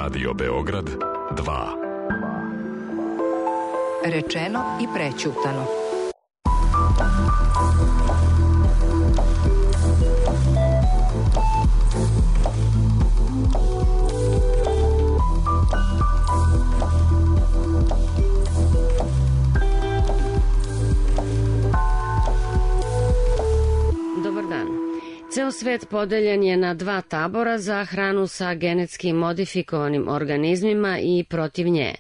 Radio Beograd 2. Rečeno i prećutano. Ceo svet podeljen je na dva tabora za hranu sa genetski modifikovanim organizmima i protiv nje.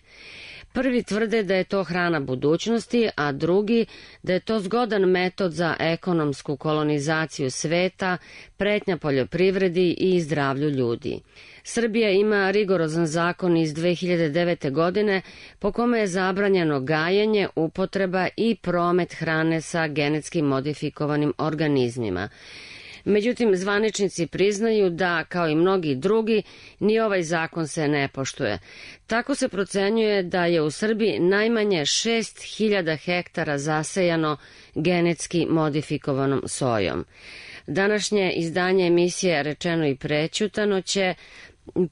Prvi tvrde da je to hrana budućnosti, a drugi da je to zgodan metod za ekonomsku kolonizaciju sveta, pretnja poljoprivredi i zdravlju ljudi. Srbija ima rigorozan zakon iz 2009. godine po kome je zabranjeno gajenje, upotreba i promet hrane sa genetski modifikovanim organizmima. Međutim, zvaničnici priznaju da, kao i mnogi drugi, ni ovaj zakon se ne poštuje. Tako se procenjuje da je u Srbiji najmanje 6.000 hektara zasejano genetski modifikovanom sojom. Današnje izdanje emisije Rečeno i prećutano će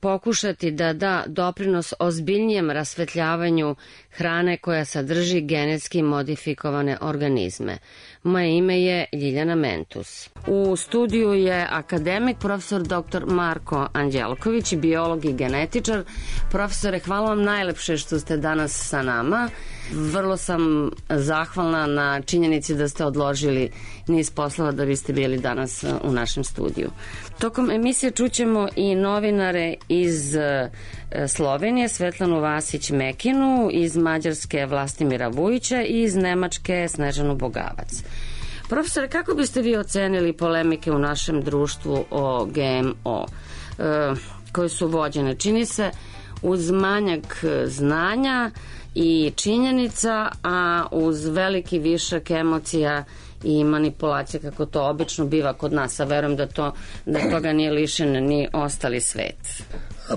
pokušati da da doprinos ozbiljnijem rasvetljavanju hrane koja sadrži genetski modifikovane organizme. Moje ime je Ljiljana Mentus. U studiju je akademik profesor dr. Marko Anđelković, biolog i genetičar. Profesore, hvala vam najlepše što ste danas sa nama. Vrlo sam zahvalna na činjenici da ste odložili niz poslova da biste bili danas u našem studiju. Tokom emisije čućemo i novinare iz Slovenije, Svetlanu Vasić-Mekinu, iz Mađarske Vlastimira Vujića i iz Nemačke Snežanu Bogavac. Profesore, kako biste vi ocenili polemike u našem društvu o GMO koje su vođene? Čini se uz manjak znanja i činjenica, a uz veliki višak emocija i manipulacije, kako to obično biva kod nas, a verujem da toga nije lišen ni ostali svet.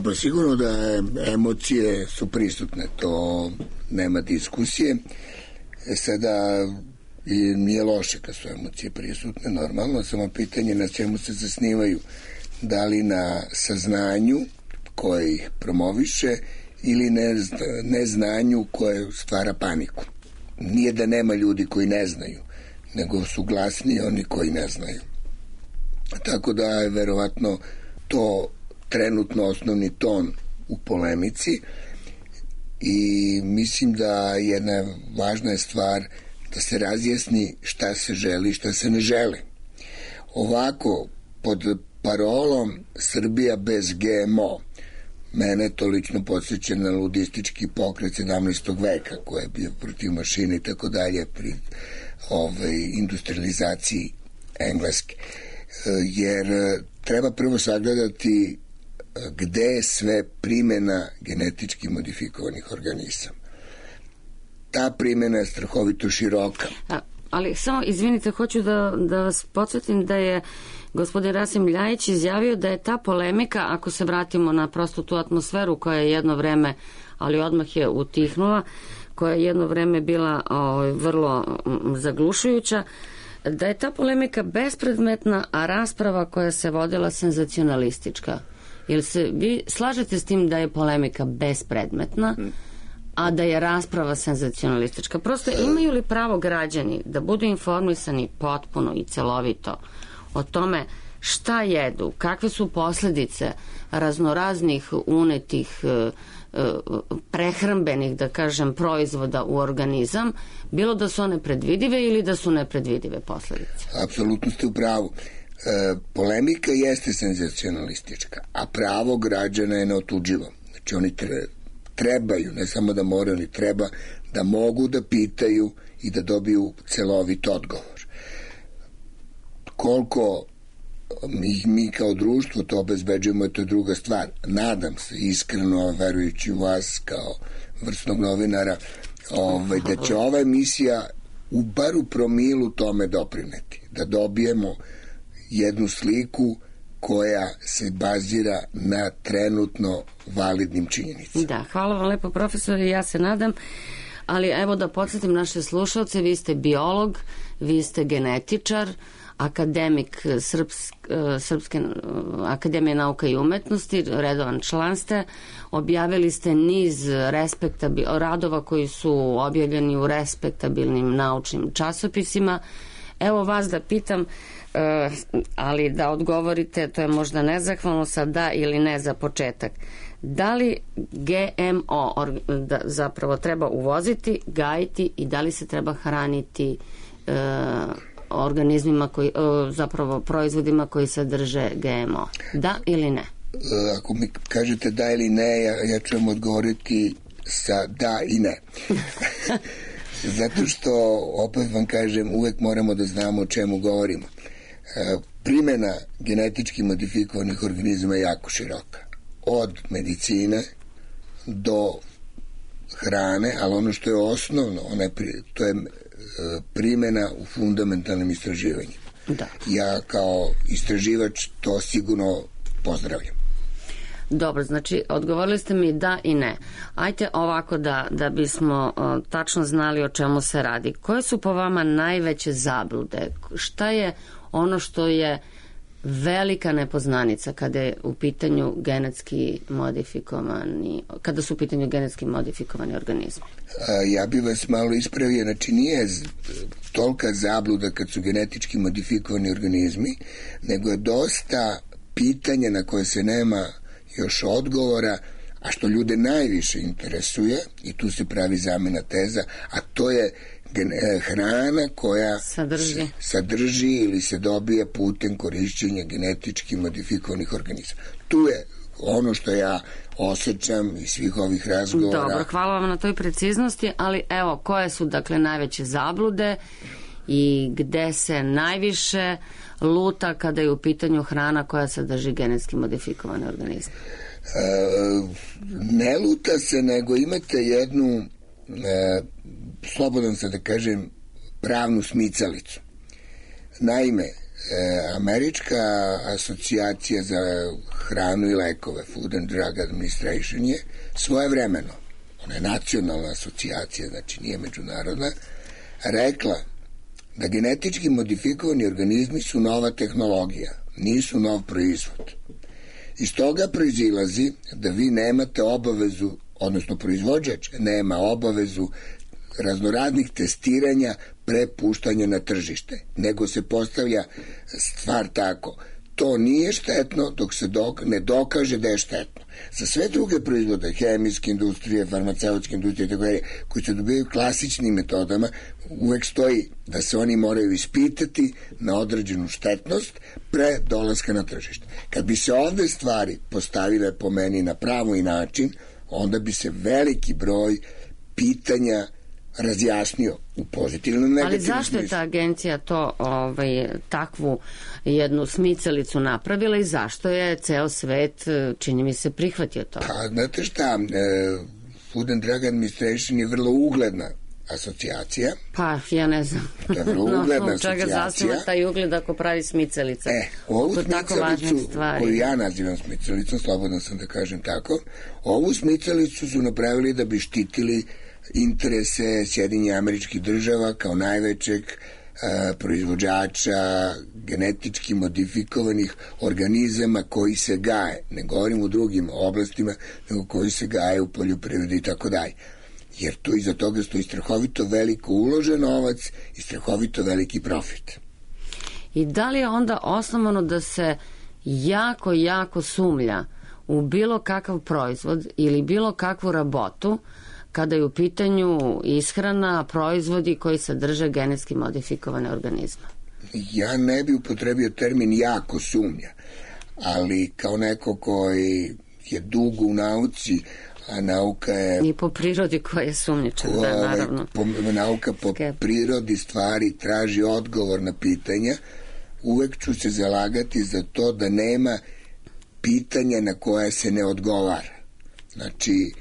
Pa sigurno da emocije su prisutne, to nema diskusije. Sada nije loše kad su emocije prisutne, normalno, samo pitanje na čemu se zasnivaju, da li na saznanju koje ih promoviše ili neznanju koje stvara paniku. Nije da nema ljudi koji ne znaju, nego su glasni oni koji ne znaju. Tako da je verovatno to trenutno osnovni ton u polemici i mislim da jedna važna stvar da se razjasni šta se želi i šta se ne želi. Ovako, pod parolom Srbija bez GMO, mene to lično podsjeća na ludistički pokret 17. veka koji je bio protiv mašine i tako dalje pri industrializaciji Engleske. Jer treba prvo sagledati gde je sve primjena genetički modifikovanih organizama. Ta primjena je strahovito široka. Ali samo, izvinite, hoću da vas podsjetim da je gospodin Rasim Ljajić izjavio da je ta polemika, ako se vratimo na prostu tu atmosferu koja je jedno vreme, ali odmah je utihnula, koja je jedno vreme bila vrlo zaglušujuća, da je ta polemika bespredmetna, a rasprava koja se vodila senzacionalistička. Jel se vi slažete s tim da je polemika bespredmetna, a da je rasprava senzacionalistička? Prosto, imaju li pravo građani da budu informisani potpuno i celovito o tome šta jedu, kakve su posledice raznoraznih unetih prehrambenih, da kažem, proizvoda u organizam, bilo da su one predvidive ili da su nepredvidive posledice? Apsolutno ste u pravu. Polemika jeste senzacionalistička, a pravo građana je neotuđivo. Znači oni trebaju, ne samo da moraju, oni treba da mogu da pitaju i da dobiju celovit odgovor. Koliko mi kao društvo to obezbeđujemo, to je druga stvar. Nadam se, iskreno, verujući u vas kao vrsnog novinara, da će ova emisija bar u promilu tome doprineti. Da dobijemo jednu sliku koja se bazira na trenutno validnim činjenicama. Da, hvala vam lepo, profesore, ja se nadam. Ali evo da podsjetim naše slušalce, vi ste biolog, vi ste genetičar, akademik Srpske akademije nauka i umetnosti, redovan član ste, objavili ste niz radova koji su objavljeni u respektabilnim naučnim časopisima. Evo vas da pitam, ali da odgovorite, to je možda nezahvalno, sa da ili ne za početak. Da li GMO zapravo treba uvoziti, gajiti i da li se treba hraniti organizmima zapravo proizvodima koji sadrže GMO? Da ili ne? Ako mi kažete da ili ne, ja ću vam odgovoriti sa da i ne. Zato što, opet vam kažem, uvek moramo da znamo o čemu govorimo. Primjena genetički modifikovanih organizama je jako široka. Od medicine do hrane, ali ono što je osnovno, to je primjena u fundamentalnim istraživanjima. Da. Ja kao istraživač to sigurno pozdravljam. Dobro, znači odgovorili ste mi da i ne. Ajte ovako da bismo tačno znali o čemu se radi. Koje su po vama najveće zablude? Šta je ono što je velika nepoznanica kada je u pitanju kada su u pitanju genetski modifikovani organizmi? Ja bih vas malo ispravio, znači nije tolika zabluda kad su genetički modifikovani organizmi, nego je dosta pitanja na koje se nema još odgovora, a što ljude najviše interesuje, i tu se pravi zamena teza, a to je hrana koja sadrži ili se dobije putem korišćenja genetički modifikovanih organizama. Tu je ono što ja osjećam iz svih ovih razgovora. Dobro, hvala vam na toj preciznosti, ali evo, koje su dakle najveće zablude i gde se najviše luta kada je u pitanju hrana koja sadrži genetski modifikovane organizme? Ne luta se, nego imate jednu, slobodan sam da kažem, pravnu smicalicu. Naime, Američka asocijacija za hranu i lekove, Food and Drug Administration, je svojevremeno, ona je nacionalna asocijacija, znači nije međunarodna, rekla da genetički modifikovani organizmi su nova tehnologija, nisu nov proizvod. Iz toga proizilazi da vi nemate obavezu, odnosno proizvođač nema obavezu raznoraznih testiranja pre puštanja na tržište, nego se postavlja stvar tako: to nije štetno dok se ne dokaže da je štetno. Za sve druge proizvode, hemijske industrije, farmaceutske industrije, koji se dobijaju klasičnim metodama, uvek stoji da se oni moraju ispitati na određenu štetnost pre dolaska na tržište. Kad bi se ovde stvari postavile po meni na pravi način, onda bi se veliki broj pitanja razjasnio u pozitivnom, negativnom smislu. Ali zašto je ta agencija to takvu jednu smicalicu napravila i zašto je ceo svet, čini mi se, prihvatio to? Pa, znate šta, Food and Drug Administration je vrlo ugledna asocijacija. Pa, ja ne znam. To je vrlo ugledna asocijacija. Čega zasniva taj ugled ako pravi smicalice? Ovu smicalicu, koju ja nazivam smicalicom, slobodan sam da kažem tako, ovu smicalicu su napravili da bi štitili interese Sjedinjenih Američkih Država kao najvećeg proizvođača genetički modifikovanih organizama koji se gaje. Ne govorim u drugim oblastima, nego koji se gaje u poljoprivredi i tako dalje. Jer tu iza toga stoji strahovito veliko uložen novac i strahovito veliki profit. I da li je onda osnovano da se jako, jako sumlja u bilo kakav proizvod ili bilo kakvu rabotu kada je u pitanju ishrana, proizvodi koji sadrže genetski modifikovane organizme? Ja ne bi upotrebio termin jako sumnja, ali kao neko koji je dugo u nauci, a nauka je... I po prirodi koja je sumnjičan, naravno. Nauka po prirodi stvari traži odgovor na pitanja. Uvek ću se zalagati za to da nema pitanja na koje se ne odgovara. Znači,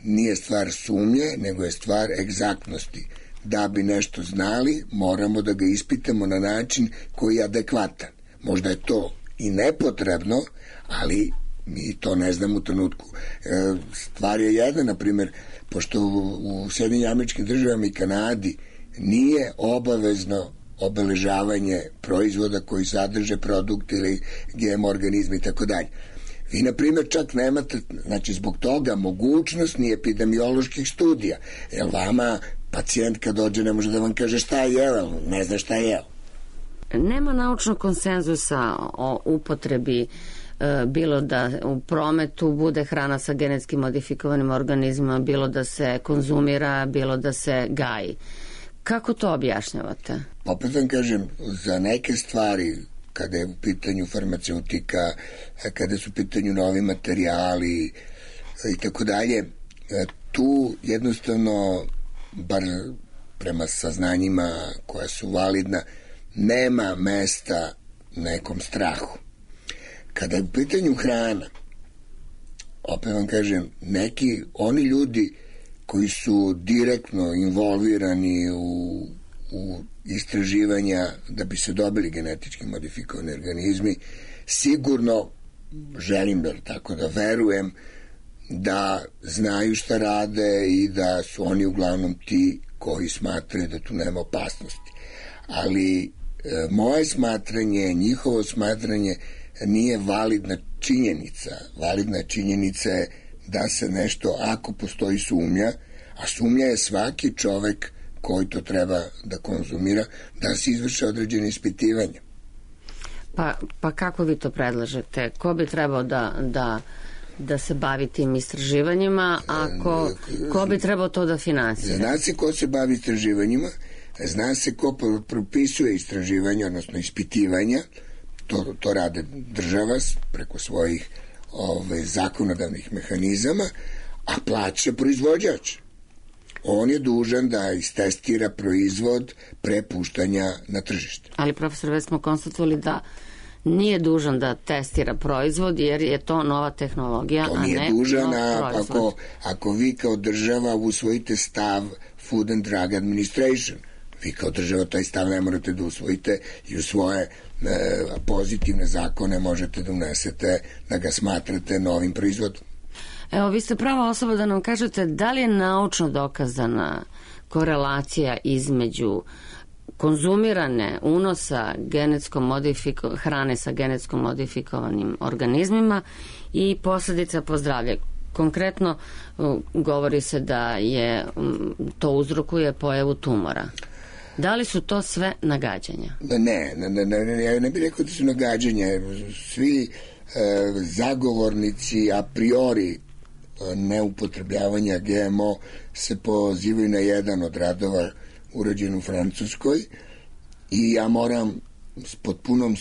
nije stvar sumnje, nego je stvar egzaktnosti. Da bi nešto znali, moramo da ga ispitamo na način koji je adekvatan. Možda je to i nepotrebno, ali mi to ne znamo u trenutku. Stvar je jedna, na primjer, pošto u Sjedinjenim Američkim Državama i Kanadi nije obavezno obeležavanje proizvoda koji sadrže produkt ili GMO organizmi i tako dalje. Vi, na primjer, čak nemate, znači zbog toga, mogućnost ni epidemioloških studija, jer vama pacijent kad dođe ne može da vam kaže šta je jeo, ne zna šta je jeo. Nema naučnog konsenzusa o upotrebi, bilo da u prometu bude hrana sa genetski modifikovanim organizmima, bilo da se konzumira, bilo da se gaji. Kako to objašnjavate? Opet vam kažem, za neke stvari, kada je u pitanju farmaceutika, kada su u pitanju novi materijali i tako dalje, tu jednostavno, bar prema saznanjima koja su validna, nema mesta nekom strahu. Kada je u pitanju hrana, opet vam kažem, oni ljudi koji su direktno involvirani u istraživanja da bi se dobili genetički modifikovani organizmi, sigurno želim da verujem da znaju šta rade i da su oni uglavnom ti koji smatraju da tu nema opasnosti. Ali moje smatranje, njihovo smatranje nije validna činjenica. Validna činjenica je da se nešto, ako postoji sumnja, a sumnja je svaki čovek koji to treba da konzumira, da se izvrše određene ispitivanja. Pa kako vi to predlažete? Ko bi trebao da se bavi tim istraživanjima, a ko bi trebao to da finansira? Zna se ko se bavi istraživanjima, zna se ko propisuje istraživanja, odnosno ispitivanja, to rade država preko svojih zakonodavnih mehanizama, a plaća proizvođač. On je dužan da istestira proizvod pre puštanja na tržište. Ali, profesor, već smo konstatovali da nije dužan da testira proizvod, jer je to nova tehnologija, to nije dužan, ako vi kao država usvojite stav Food and Drug Administration, vi kao država taj stav ne morate da usvojite i u svoje pozitivne zakone možete da unesete da ga smatrate novim proizvodom. Evo, vi ste prava osoba da nam kažete da li je naučno dokazana korelacija između konzumirane unosa hrane sa genetsko modifikovanim organizmima i posledica po zdravlje. Konkretno govori se da to uzrokuje pojavu tumora. Da li su to sve nagađanja? Ne, ja ne bih rekao da su nagađanja. Svi zagovornici a priori neupotrebljavanja GMO se pozivaju na jedan od radova urađen u Francuskoj i ja moram s potpunom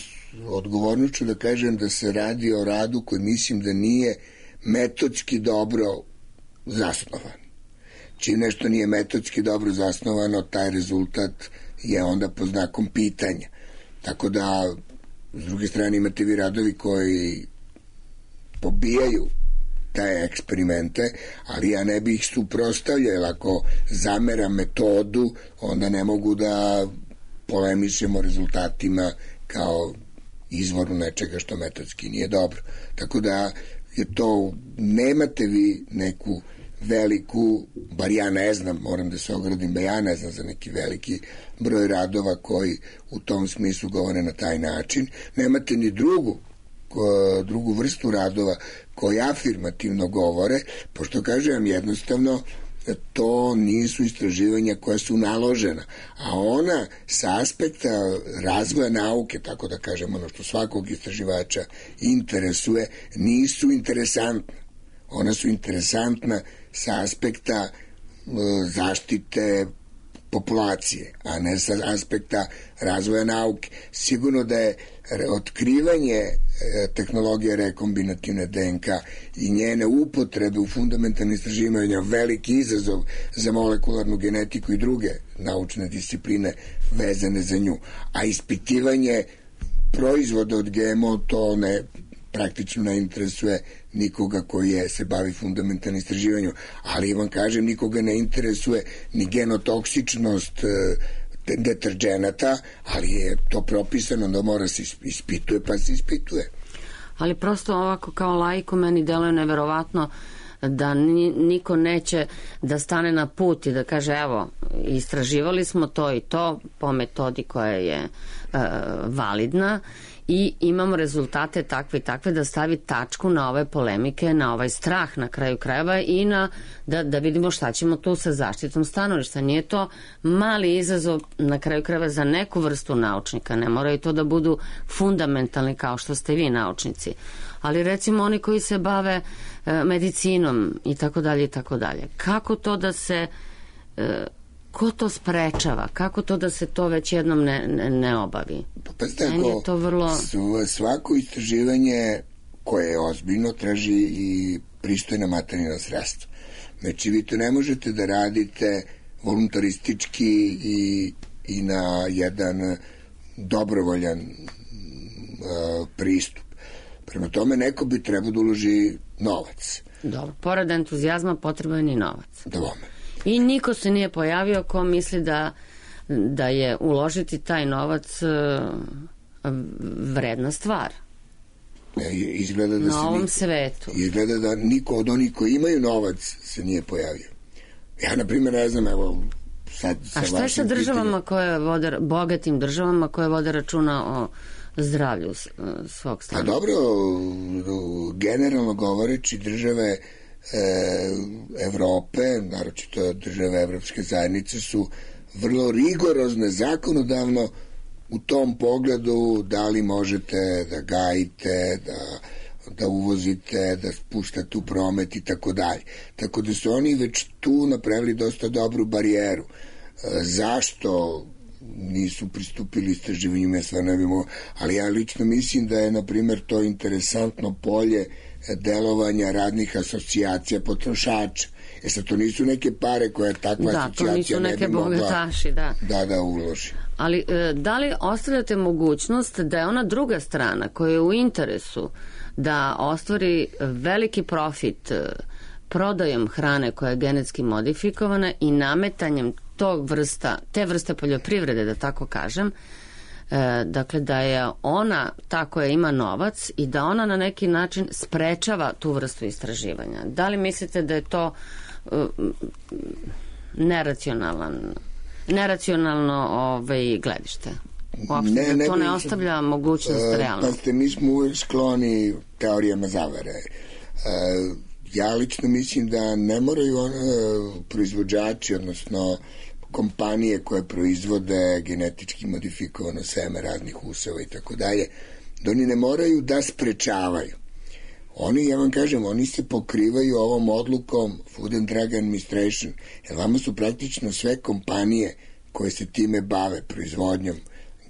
odgovornošću da kažem da se radi o radu koji mislim da nije metodski dobro zasnovan. Čim nešto nije metodski dobro zasnovano, taj rezultat je onda pod znakom pitanja. Tako da, s druge strane, imate vi radovi koji pobijaju te eksperimente, ali ja ne bih ih suprotstavljao, jer ako zameram metodu, onda ne mogu da polemišem o rezultatima kao izvoru nečega što metodski nije dobro. Tako da je to, nemate vi neku veliku, bar ja ne znam, moram da se ogradim, da ja ne znam za neki veliki broj radova koji u tom smislu govore na taj način. Nemate ni drugu vrstu radova koji afirmativno govore, pošto kažem jednostavno to nisu istraživanja koja su naložena, a ona sa aspekta razvoja nauke, tako da kažem, ono što svakog istraživača interesuje, nisu interesantna. Ona su interesantna sa aspekta zaštite populacije, a ne sa aspekta razvoja nauke. Sigurno da je otkrivanje tehnologije rekombinativne DNK i njene upotrebe u fundamentalnim istraživanjima veliki izazov za molekularnu genetiku i druge naučne discipline vezane za nju. A ispitivanje proizvoda od GMO to praktično ne interesuje nikoga koji se bavi fundamentalnim istraživanjem, ali vam kažem, nikoga ne interesuje ni genotoksičnost deterđenata, ali je to propisano da mora se ispituje, pa se ispituje. Ali prosto ovako kao laiku meni deluje neverovatno da niko neće da stane na put i da kaže evo, istraživali smo to i to po metodi koja je validna i imamo rezultate takve i takve, da stavi tačku na ove polemike, na ovaj strah na kraju krajeva i da vidimo šta ćemo tu sa zaštitom stanovišta. Nije to mali izazov na kraju krajeva za neku vrstu naučnika, ne moraju to da budu fundamentalni kao što ste vi naučnici, ali recimo oni koji se bave medicinom i tako dalje i tako dalje. Kako to da se ko to sprečava? Kako to da se to već jednom ne obavi? Meni je to vrlo... Svako istraživanje koje je ozbiljno traži i pristojna materijalna sredstva. Znači, vi to ne možete da radite voluntaristički i na jedan dobrovoljan pristup. Prema tome, neko bi trebao da uloži novac. Dobro, pored entuzijazma potreban je i novac. Dobome. I niko se nije pojavio ko misli da je uložiti taj novac vredna stvar. Izgleda da na ovom svetu. Izgleda da niko od onih koji imaju novac se nije pojavio. Ja, na primjer, ne znam, evo, sad sa vašim... A šta je sa državama koje vode, bogatim državama koje vode računa o zdravlju svog stana? Pa dobro, generalno govoreći, države Evrope, naročito države Evropske zajednice, su vrlo rigorozne zakonodavno u tom pogledu da li možete da gajite, da uvozite, da spuštate u promet i tako dalje. Tako da su oni već tu napravili dosta dobru barijeru. Zašto nisu pristupili istraživanjima, sve ne bimo, ali ja lično mislim da je, na primjer, to interesantno polje delovanja radnih asocijacija potrošača. Sad, to nisu neke pare koje takva asocijacija ne bi mogla bogataši, da uloži. Ali da li ostavljate mogućnost da je ona druga strana koja je u interesu da ostvari veliki profit prodajom hrane koja je genetski modifikovana i nametanjem te vrste poljoprivrede, da tako kažem, dakle da je ona ta koja ima novac i da ona na neki način sprečava tu vrstu istraživanja? Da li mislite da je to neracionalno gledište? Uopšte da to ne ostavlja mogućnost realno? Pa mi smo uvijek skloni teorijama zavere. Ja lično mislim da ne moraju proizvođači, odnosno kompanije koje proizvode genetički modifikovano seme raznih useva i tako dalje, da oni ne moraju da sprečavaju. Oni, ja vam kažem, oni se pokrivaju ovom odlukom Food and Drug Administration, jer vama su praktično sve kompanije koje se time bave proizvodnjom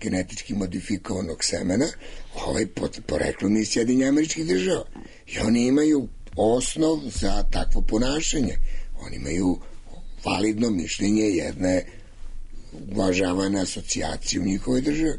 genetički modifikovanog semena, poreklom iz Sjedinjenih Američkih Država. I oni imaju osnov za takvo ponašanje. Oni imaju validno mišljenje jedne uvažavane asocijacije u njihovoj državi.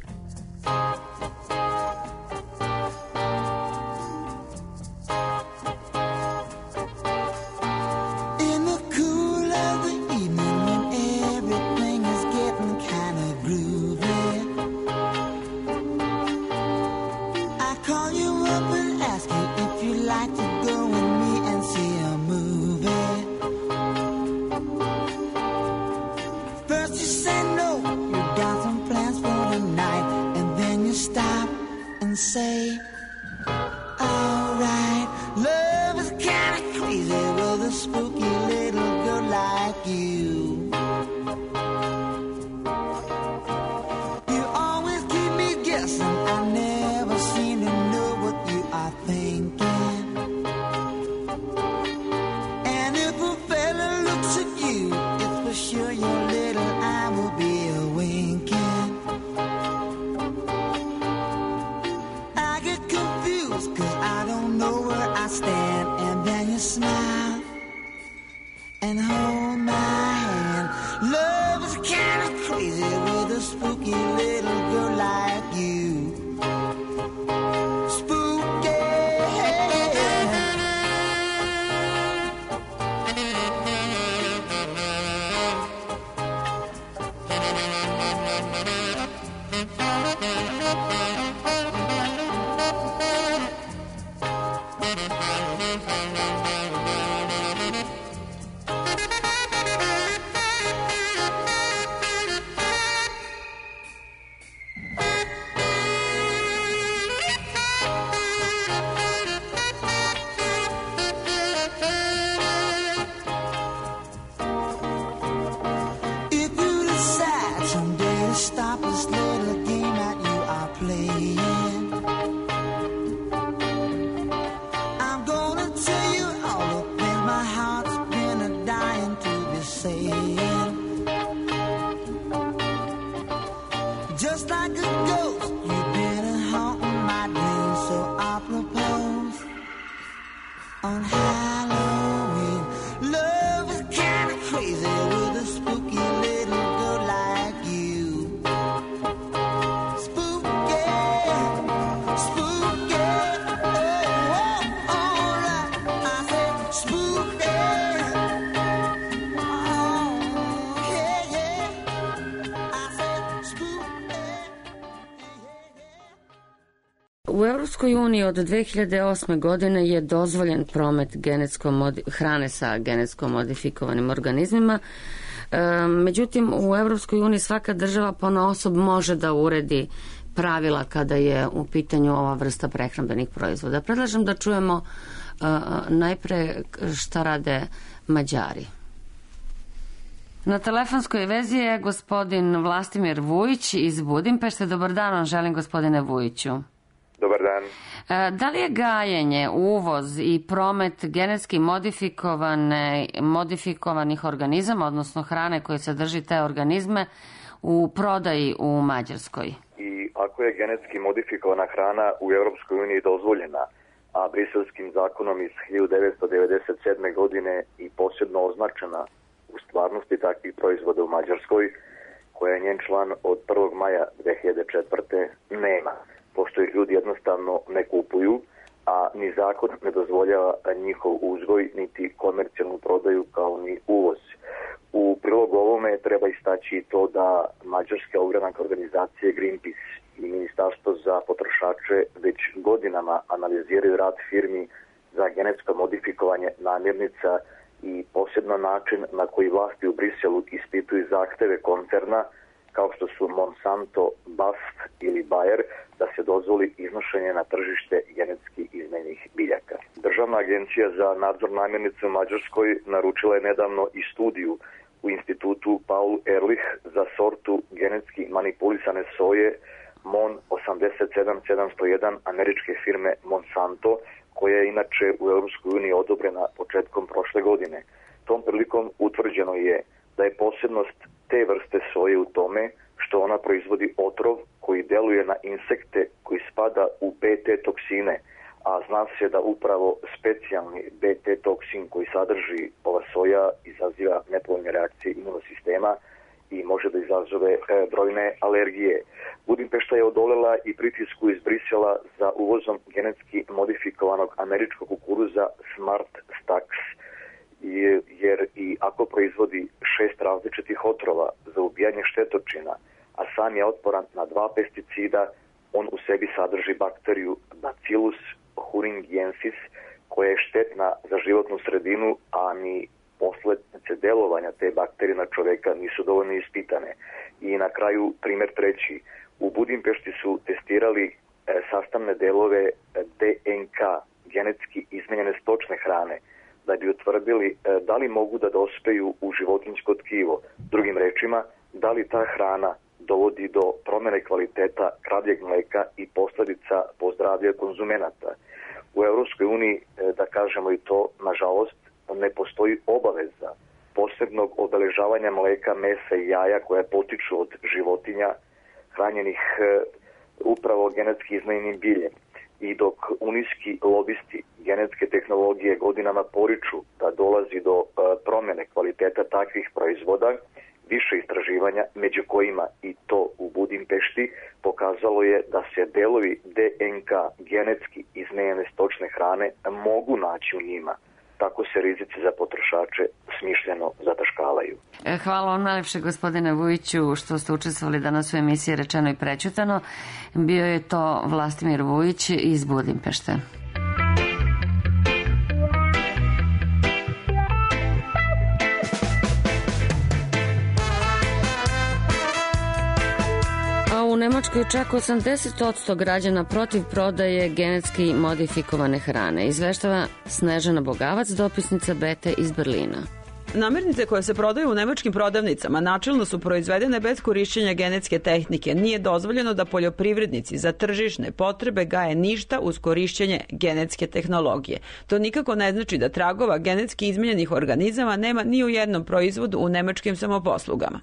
Say, alright, love is kinda crazy with a spooky little girl like you. You always keep me guessing, I never seem to know what you are thinking. And if a fella looks at you, it's for sure your little eye will be a winking. Cause I don't know where I stand. And then you smile and hold my hand. Love is kinda crazy with a spooky little girl like you. Spooky. playing. I'm gonna tell you all the things my heart's been a dying to be saying. Just like a ghost, you've been haunting my dreams, so I propose on Halloween. Love is kinda crazy with a spooky little girl like you. Spooky, spooky, oh, alright. I said spooky, oh, yeah, yeah. I said spooky. U Europskoj uniji od 2008. godine je dozvoljen promet hrane sa genetsko modifikovanim organizmima. Međutim, u Europskoj uniji svaka država ponaosob može da uredi pravila kada je u pitanju ova vrsta prehrambenih proizvoda. Predlažem da čujemo najpre šta rade Mađari. Na telefonskoj vezi je gospodin Vlastimir Vujić iz Budimpešte. Dobar dan vam želim, gospodine Vujiću. Dobar dan. Da li je gajenje, uvoz i promet genetski modifikovanih organizama, odnosno hrane koje sadrži te organizme, u prodaji u Mađarskoj? I ako je genetski modifikovana hrana u Europskoj uniji dozvoljena, a briselskim zakonom iz 1997. godine i posebno označena u stvarnosti takvih proizvoda u Mađarskoj, koja je njen član od 1. maja 2004. nema. Pošto ih ljudi jednostavno ne kupuju, a ni zakon ne dozvoljava njihov uzgoj, niti komercijalnu prodaju kao ni uvoz. U prilog ovome treba istaći to da mađarske ogranaka organizacije Greenpeace i Ministarstvo za potrošače već godinama analiziraju rad firmi za genetsko modifikovanje namirnica i posebno način na koji vlasti u Briselu ispituju zahteve koncerna kao što su Monsanto, BASF ili Bayer, da se dozvoli iznošenje na tržište genetski izmenjenih biljaka. Državna agencija za nadzor namirnica u Mađarskoj naručila je nedavno i studiju u institutu Paul Ehrlich za sortu genetski manipulisane soje MON 87701 američke firme Monsanto, koja je inače u EU odobrena početkom prošle godine. Tom prilikom utvrđeno je da je posebnost te vrste soje u tome što ona proizvodi otrov koji deluje na insekte koji spada u BT toksine, a zna se da upravo specijalni BT toksin koji sadrži ova soja izaziva nepovoljne reakcije imunosistema i može da izazove brojne alergije. Budimpešta je odolela i pritisku iz Brisela za uvozom genetski modifikovanog američkog kukuruza Smart Stax, jer i ako proizvodi 6 različitih otrova za ubijanje štetočina, a sam je otporan na 2 pesticida, on u sebi sadrži bakteriju Bacillus thuringiensis, koja je štetna za životnu sredinu, a ni posljedice delovanja te bakterije na čoveka nisu dovoljno ispitane. I na kraju, primjer treći, u Budimpešti su testirali sastavne delove DNK, genetski izmenjene stočne hrane, da bi utvrdili da li mogu da dospeju u životinjsko tkivo. Drugim rečima, da li ta hrana dovodi do promjene kvaliteta kravljeg mleka i posljedica po zdravlje konzumenata. U Europskoj uniji, da kažemo i to, nažalost, ne postoji obaveza posebnog obeležavanja mleka, mesa i jaja koja potiču od životinja hranjenih upravo genetski izmenjenim biljem. I dok unijski lobisti genetske tehnologije godinama poriču da dolazi do promjene kvaliteta takvih proizvoda, više istraživanja, među kojima i to u Budimpešti, pokazalo je da se delovi DNK genetski izmenjene stočne hrane mogu naći u njima. Tako se rizici za potrošače smišljeno zataškavaju. Hvala vam najlepše, gospodine Vujiću, što ste učestvovali danas u emisiji Rečeno i prećutano. Bio je to Vlastimir Vujić iz Budimpešte. U Nemačkoj čak 80% građana protiv prodaje genetski modifikovane hrane, izveštava Snežana Bogavac, dopisnica Bete iz Berlina. Namirnice koje se prodaju u nemačkim prodavnicama načelno su proizvedene bez korišćenja genetske tehnike. Nije dozvoljeno da poljoprivrednici za tržišne potrebe gaje ništa uz korišćenje genetske tehnologije. To nikako ne znači da tragova genetski izmenjenih organizama nema ni u jednom proizvodu u nemačkim samoposlugama.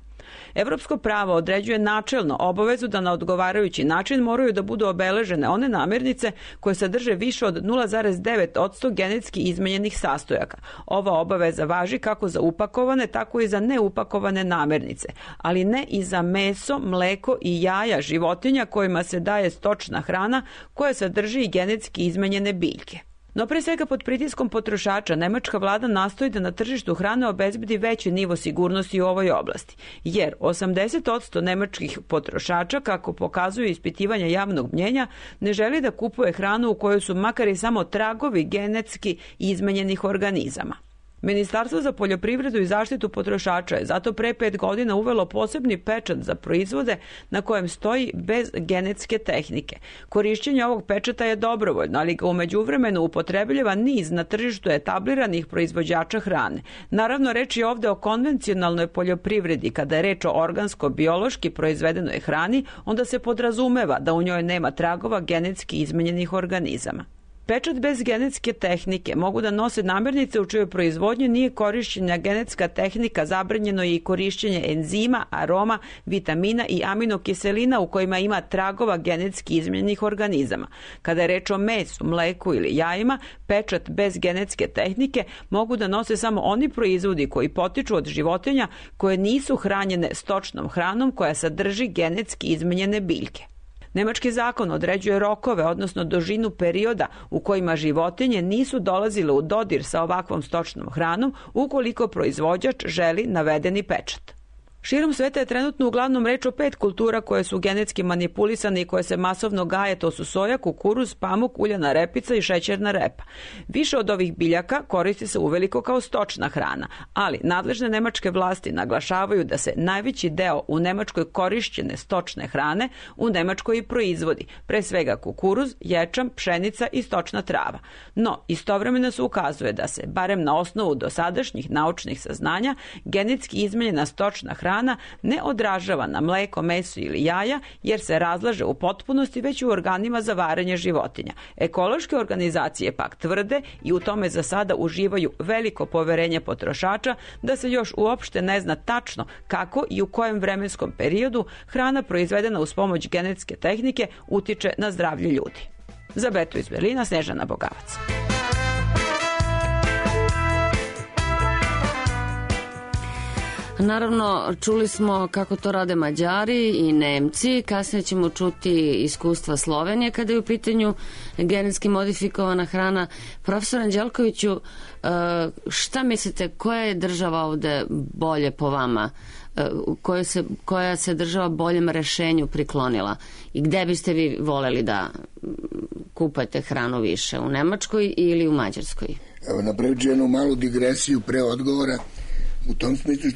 Evropsko pravo određuje načelno obavezu da na odgovarajući način moraju da budu obeležene one namirnice koje sadrže više od 0,9% genetski izmenjenih sastojaka. Ova obaveza važi kako za upakovane, tako i za neupakovane namirnice, ali ne i za meso, mleko i jaja životinja kojima se daje stočna hrana koja sadrži i genetski izmenjene biljke. No pre svega pod pritiskom potrošača nemačka vlada nastoji da na tržištu hrane obezbedi veći nivo sigurnosti u ovoj oblasti, jer 80% nemačkih potrošača, kako pokazuju ispitivanja javnog mnjenja, ne želi da kupuje hranu u kojoj su makar i samo tragovi genetski izmenjenih organizama. Ministarstvo za poljoprivredu i zaštitu potrošača je zato pre 5 godina uvelo posebni pečat za proizvode na kojem stoji bez genetske tehnike. Korišćenje ovog pečata je dobrovoljno, ali ga u međuvremenu upotrebljava niz na tržištu etabliranih proizvođača hrane. Naravno, reč je ovde o konvencionalnoj poljoprivredi. Kada je reč o organsko-biološki proizvedenoj hrani, onda se podrazumeva da u njoj nema tragova genetski izmenjenih organizama. Pečat bez genetske tehnike mogu da nose namirnice u čijoj proizvodnji nije korišćena genetska tehnika, zabranjeno je i korišćenje enzima, aroma, vitamina i aminokiselina u kojima ima tragova genetski izmenjenih organizama. Kada je reč o mesu, mleku ili jajima, pečat bez genetske tehnike mogu da nose samo oni proizvodi koji potiču od životinja koje nisu hranjene stočnom hranom koja sadrži genetski izmenjene biljke. Nemački zakon određuje rokove, odnosno dužinu perioda u kojima životinje nisu dolazile u dodir sa ovakvom stočnom hranom ukoliko proizvođač želi navedeni pečat. Širom sveta je trenutno uglavnom reč o 5 kultura koje su genetski manipulisane i koje se masovno gaje, to su soja, kukuruz, pamuk, uljana repica i šećerna repa. Više od ovih biljaka koristi se uveliko kao stočna hrana, ali nadležne nemačke vlasti naglašavaju da se najveći deo u Nemačkoj korišćene stočne hrane u Nemačkoj i proizvodi, pre svega kukuruz, ječam, pšenica i stočna trava. No, istovremeno se ukazuje da se, barem na osnovu dosadašnjih naučnih saznanja, genetski izmenjena stočna hrana ne odražava na mleko, meso ili jaja, jer se razlaže u potpunosti već u organima za varenje životinja. Ekološke organizacije pak tvrde i u tome za sada uživaju veliko poverenje potrošača da se još uopšte ne zna tačno kako i u kojem vremenskom periodu hrana proizvedena uz pomoć genetske tehnike utiče na zdravlje ljudi. Za Betu iz Berlina, Snežana Bogavac. Naravno, čuli smo kako to rade Mađari i Nemci, kasnije ćemo čuti iskustva Slovenije kada je u pitanju genetski modifikovana hrana. Profesor Anđelkoviću, šta mislite, koja je država ovde bolje po vama, koja se država boljem rešenju priklonila i gde biste vi voleli da kupujete hranu više, u Nemačkoj ili u Mađarskoj? Evo, napravit ću jednu malu digresiju pre odgovora. U tom smislu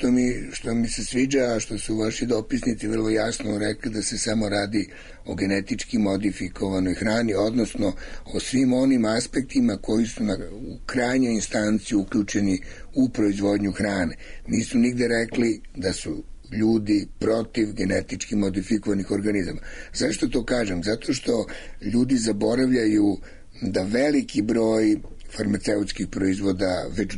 što mi se sviđa, a što su vaši dopisnici vrlo jasno rekli da se samo radi o genetički modifikovanoj hrani, odnosno o svim onim aspektima koji su u krajnjoj instanciji uključeni u proizvodnju hrane. Nisu nigde rekli da su ljudi protiv genetički modifikovanih organizama. Zašto to kažem? Zato što ljudi zaboravljaju da veliki broj farmaceutskih proizvoda već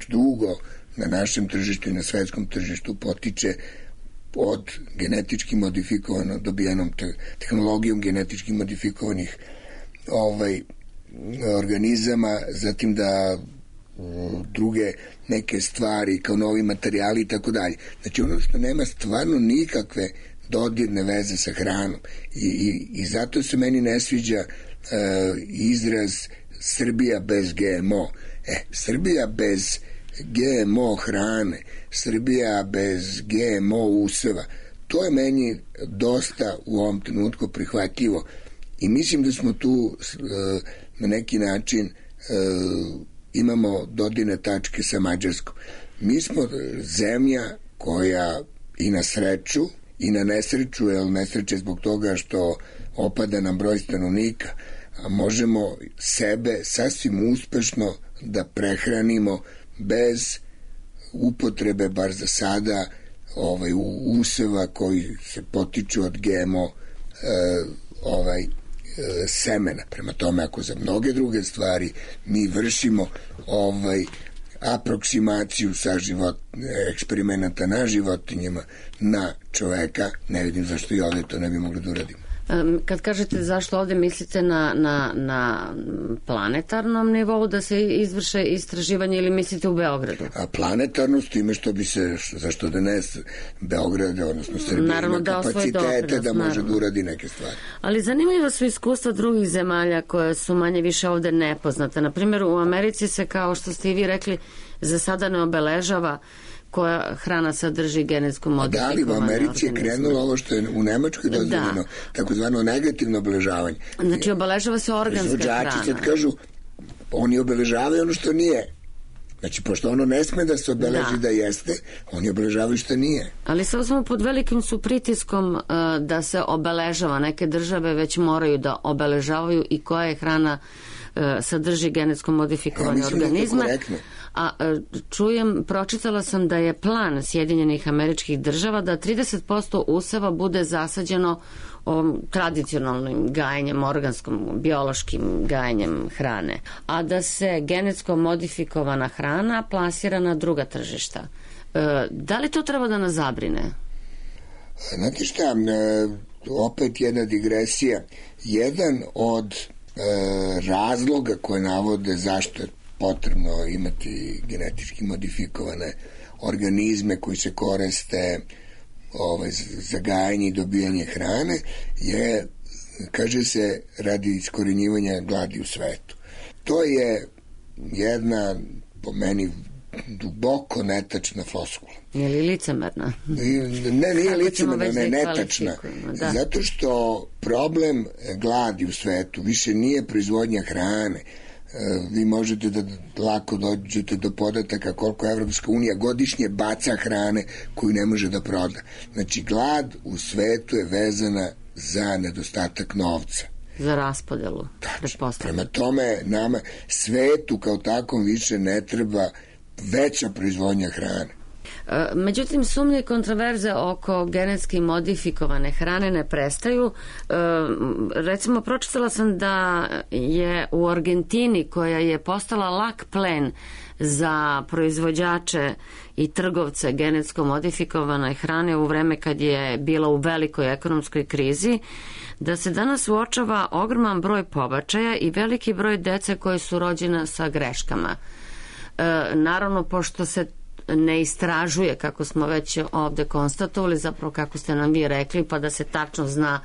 dugo na našem tržištu i na svetskom tržištu potiče od genetički modifikovano, dobijenom tehnologijom genetički modifikovanih organizama, zatim da druge neke stvari kao novi materijali i tako dalje. Znači ono što nema stvarno nikakve dodirne veze sa hranom i zato se meni ne sviđa izraz Srbija bez GMO. Srbija bez GMO hrane, Srbija bez GMO useva, to je meni dosta u ovom trenutku prihvatljivo i mislim da smo tu na neki način imamo dodirne tačke sa Mađarskom. Mi smo zemlja koja i na sreću i na nesreću, jer nesreće zbog toga što opada nam broj stanovnika, a možemo sebe sasvim uspešno da prehranimo bez upotrebe, bar za sada, useva koji se potiču od GMO semena. Prema tome, ako za mnoge druge stvari mi vršimo aproksimaciju sa eksperimenata na životinjama na čoveka, ne vidim zašto i ovde to ne bi mogli da uradimo. Kad kažete zašto ovde mislite na planetarnom nivou da se izvrše istraživanje ili mislite u Beogradu? A planetarno s time što bi se, zašto da ne Beograd, odnosno Srbija ima kapacitete da može da uradi neke stvari. Ali zanimljivo su iskustva drugih zemalja koje su manje više ovde nepoznate. Na primjer, u Americi se, kao što ste i vi rekli, za sada ne obeležava koja hrana sadrži genetsko modifikovane organizme. Da, ali u Americi je krenulo ovo što je u Nemačkoj dozvoljeno, takozvano negativno obeležavanje. Znači, obeležava se organska hrana. Proizvođači sad kažu, oni obeležavaju ono što nije. Znači, pošto ono ne sme da se obeleži da jeste, oni obeležavaju što nije. Ali sad smo pod velikim su pritiskom da se obeležava. Neke države već moraju da obeležavaju i koja je hrana sadrži genetsko modifikovane organizme. A pročitala sam da je plan Sjedinjenih Američkih Država da 30% useva bude zasađeno tradicionalnim gajenjem, organskom, biološkim gajenjem hrane, a da se genetsko modifikovana hrana plasira na druga tržišta. Da li to treba da nas zabrine? Znate šta, opet jedna digresija. Jedan od razloga koje navode zašto je potrebno imati genetički modifikovane organizme koji se koriste za gajanje i dobijanje hrane je, kaže se, radi iskorenjivanja gladi u svetu. To je jedna, po meni, duboko netačna floskula. Je li licemerna? Ne, nije licemerna, ne, netačna. Da. Zato što problem gladi u svetu više nije proizvodnja hrane. Vi možete da lako dođete do podataka koliko Evropska unija godišnje baca hrane koju ne može da proda. Znači, glad u svetu je vezana za nedostatak novca. Za raspodelu. Prema tome, nama svetu kao takom više ne treba veća proizvodnja hrane. Međutim, sumnje i kontroverze oko genetski modifikovane hrane ne prestaju. Recimo, pročitala sam da je u Argentini, koja je postala lak plen za proizvođače i trgovce genetsko modifikovane hrane u vreme kad je bila u velikoj ekonomskoj krizi, da se danas uočava ogroman broj pobačaja i veliki broj dece koje su rođena sa greškama. Naravno, pošto se ne istražuje, kako smo već ovde konstatovali, zapravo kako ste nam vi rekli, pa da se tačno zna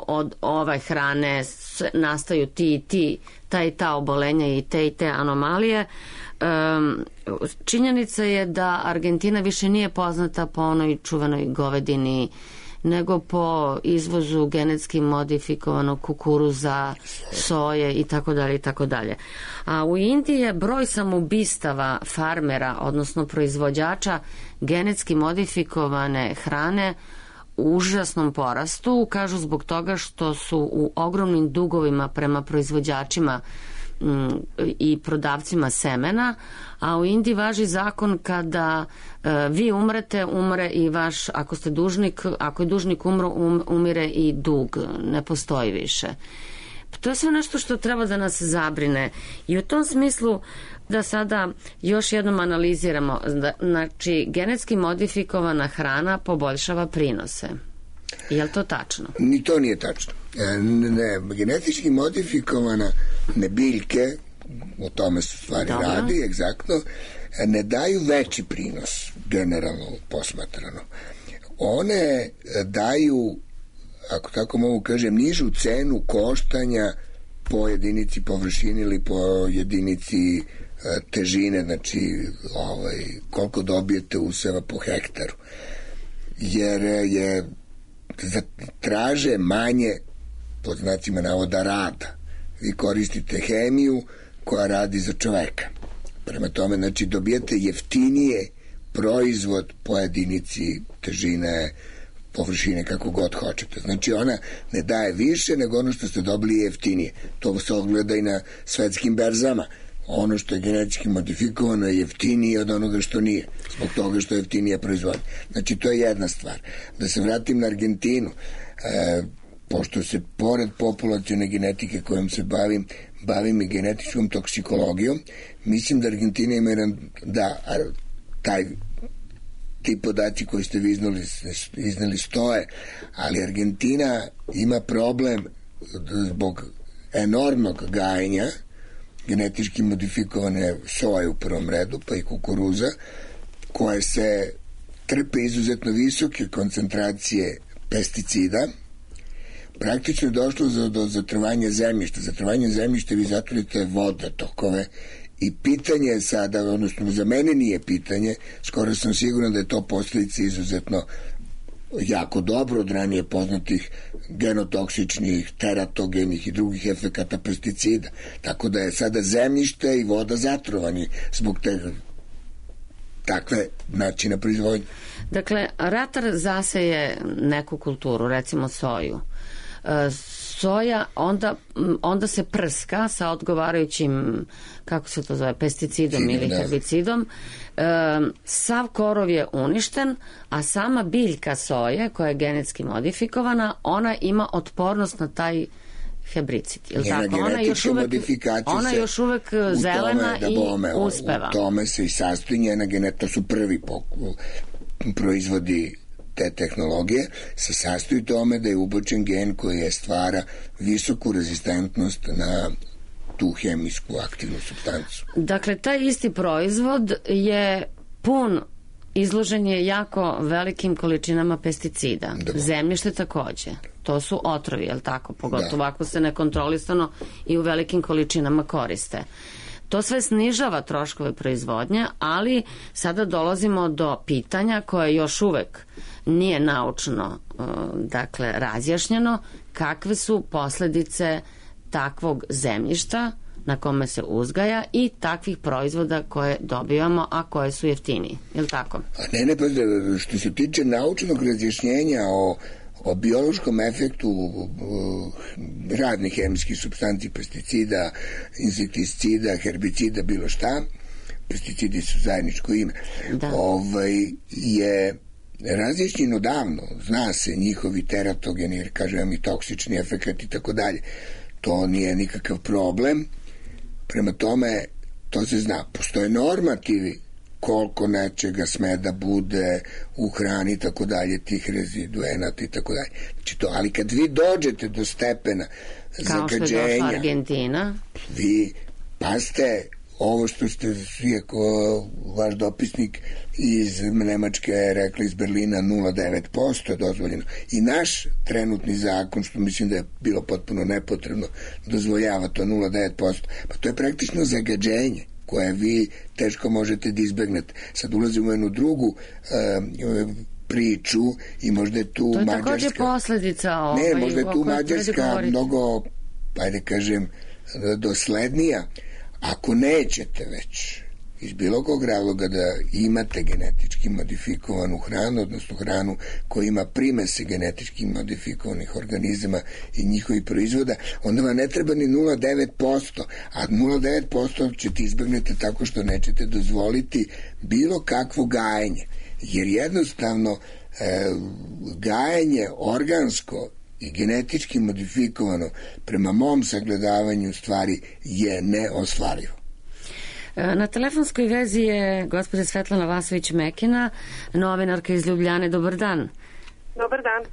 od ove hrane nastaju ta i ta obolenja i te anomalije. Činjenica je da Argentina više nije poznata po onoj čuvenoj govedini, nego po izvozu genetski modifikovanog kukuruza, soje i tako dalje i tako dalje. A u Indiji je broj samoubistava farmera, odnosno proizvođača genetski modifikovane hrane u užasnom porastu, kažu zbog toga što su u ogromnim dugovima prema proizvođačima i prodavcima semena, a u Indiji važi zakon kada vi umrete, umre i vaš, ako ste dužnik, ako je dužnik umro, umire i dug, ne postoji više. To je sve nešto što treba da nas zabrine i u tom smislu da sada još jednom analiziramo. Znači, genetski modifikovana hrana poboljšava prinose. Je li to tačno? Ni to nije tačno. Ne, genetički modifikovane biljke, o tome se stvari radi, egzaktno, ne daju veći prinos, generalno posmatrano. One daju, ako tako mogu kažem, nižu cenu koštanja po jedinici površine ili po jedinici težine, znači koliko dobijete useva po hektaru. Jer je traže manje, pod znacima navoda, rada. Vi koristite hemiju koja radi za čoveka. Prema tome, znači, dobijete jeftinije proizvod po jedinici težine, površine, kako god hoćete. Znači, ona ne daje više nego ono što ste dobili jeftinije. To se ogleda i na svetskim berzama. ono što je genetički modifikovano je jeftinije od onoga što nije, zbog toga što je jeftinija proizvodnja. Znači, to je jedna stvar. Da se vratim na Argentinu, pošto se pored populacione genetike kojom se bavim i genetičkom toksikologijom, mislim da Argentina ima ti podaci koji ste vi iznali stoje, ali Argentina ima problem zbog enormnog gajenja genetički modifikovane soje u prvom redu, pa i kukuruza, koje se trpe izuzetno visoke koncentracije pesticida. Praktično je došlo do zatrovanja zemljišta. Zatrovanje zemljišta vi zatvorite vodotokove i pitanje je sada, odnosno za mene nije pitanje, skoro sam siguran da je to posljedica izuzetno jako dobro od ranije poznatih genotoksičnih, teratogenih i drugih efekata pesticida. Tako da je sada zemljište i voda zatrovani zbog takve načina proizvodnje. Dakle, ratar zaseje neku kulturu, recimo soju. Soja onda se prska sa odgovarajućim, kako se to zove, pesticidom ili herbicidom. Sav korov je uništen, a sama biljka soje, koja je genetski modifikovana, ona ima otpornost na taj herbicid. Ona je još uvek zelena i uspeva. U tome se i sastoji njena genetika, to su prvi proizvodi te tehnologije, se sastoji tome da je ubačen gen koji je stvara visoku rezistentnost na tu hemijsku aktivnu supstancu. Dakle, taj isti proizvod je izložen je jako velikim količinama pesticida. Zemljište takođe. To su otrovi, je li tako? Pogotovo ako se nekontrolisano i u velikim količinama koriste. To sve snižava troškove proizvodnje, ali sada dolazimo do pitanja koje još uvek nije naučno razjašnjeno, kakve su posledice takvog zemljišta na kome se uzgaja i takvih proizvoda koje dobivamo, a koje su jeftiniji. Je li tako? Ne, što se tiče naučnog razjašnjenja o biološkom efektu radnih hemijskih supstanci, pesticida, insekticida, herbicida, bilo šta, pesticidi su zajedničko ime, je razjašnjeno davno, zna se njihovi teratogeni, jer kažem i toksični efekt i tako dalje. To nije nikakav problem. Prema tome, to se zna. Postoje normativi koliko nečega sme da bude u hrani i tako dalje, tih reziduenata i tako dalje. Znači to, ali kad vi dođete do stepena zagađenja, kao što je došla Argentina, vi paste ovo što ste vaš dopisnik iz Nemačke rekli, iz Berlina 0,9% dozvoljeno. I naš trenutni zakon, što mislim da je bilo potpuno nepotrebno, dozvoljava to 0,9%. Pa to je praktično zagađenje koje vi teško možete da izbegnete. Sad ulazimo u jednu drugu priču i možda je tu Mađarska... To je također posledica možda je tu Mađarska mnogo, ajde kažem, doslednija. Ako nećete već iz bilo kog razloga da imate genetički modifikovanu hranu, odnosno hranu koja ima primese genetički modifikovanih organizama i njihovih proizvoda, onda vam ne treba ni 0,9%, a 0,9% ćete izbegnete tako što nećete dozvoliti bilo kakvo gajenje, jer jednostavno gajenje organsko i genetički modifikovano prema mom sagledavanju stvari je neostvarivo. Na telefonskoj vezi je gospođa Svetlana Vasović-Mekina, novinarka iz Ljubljane. Dobar dan. Dobar dan.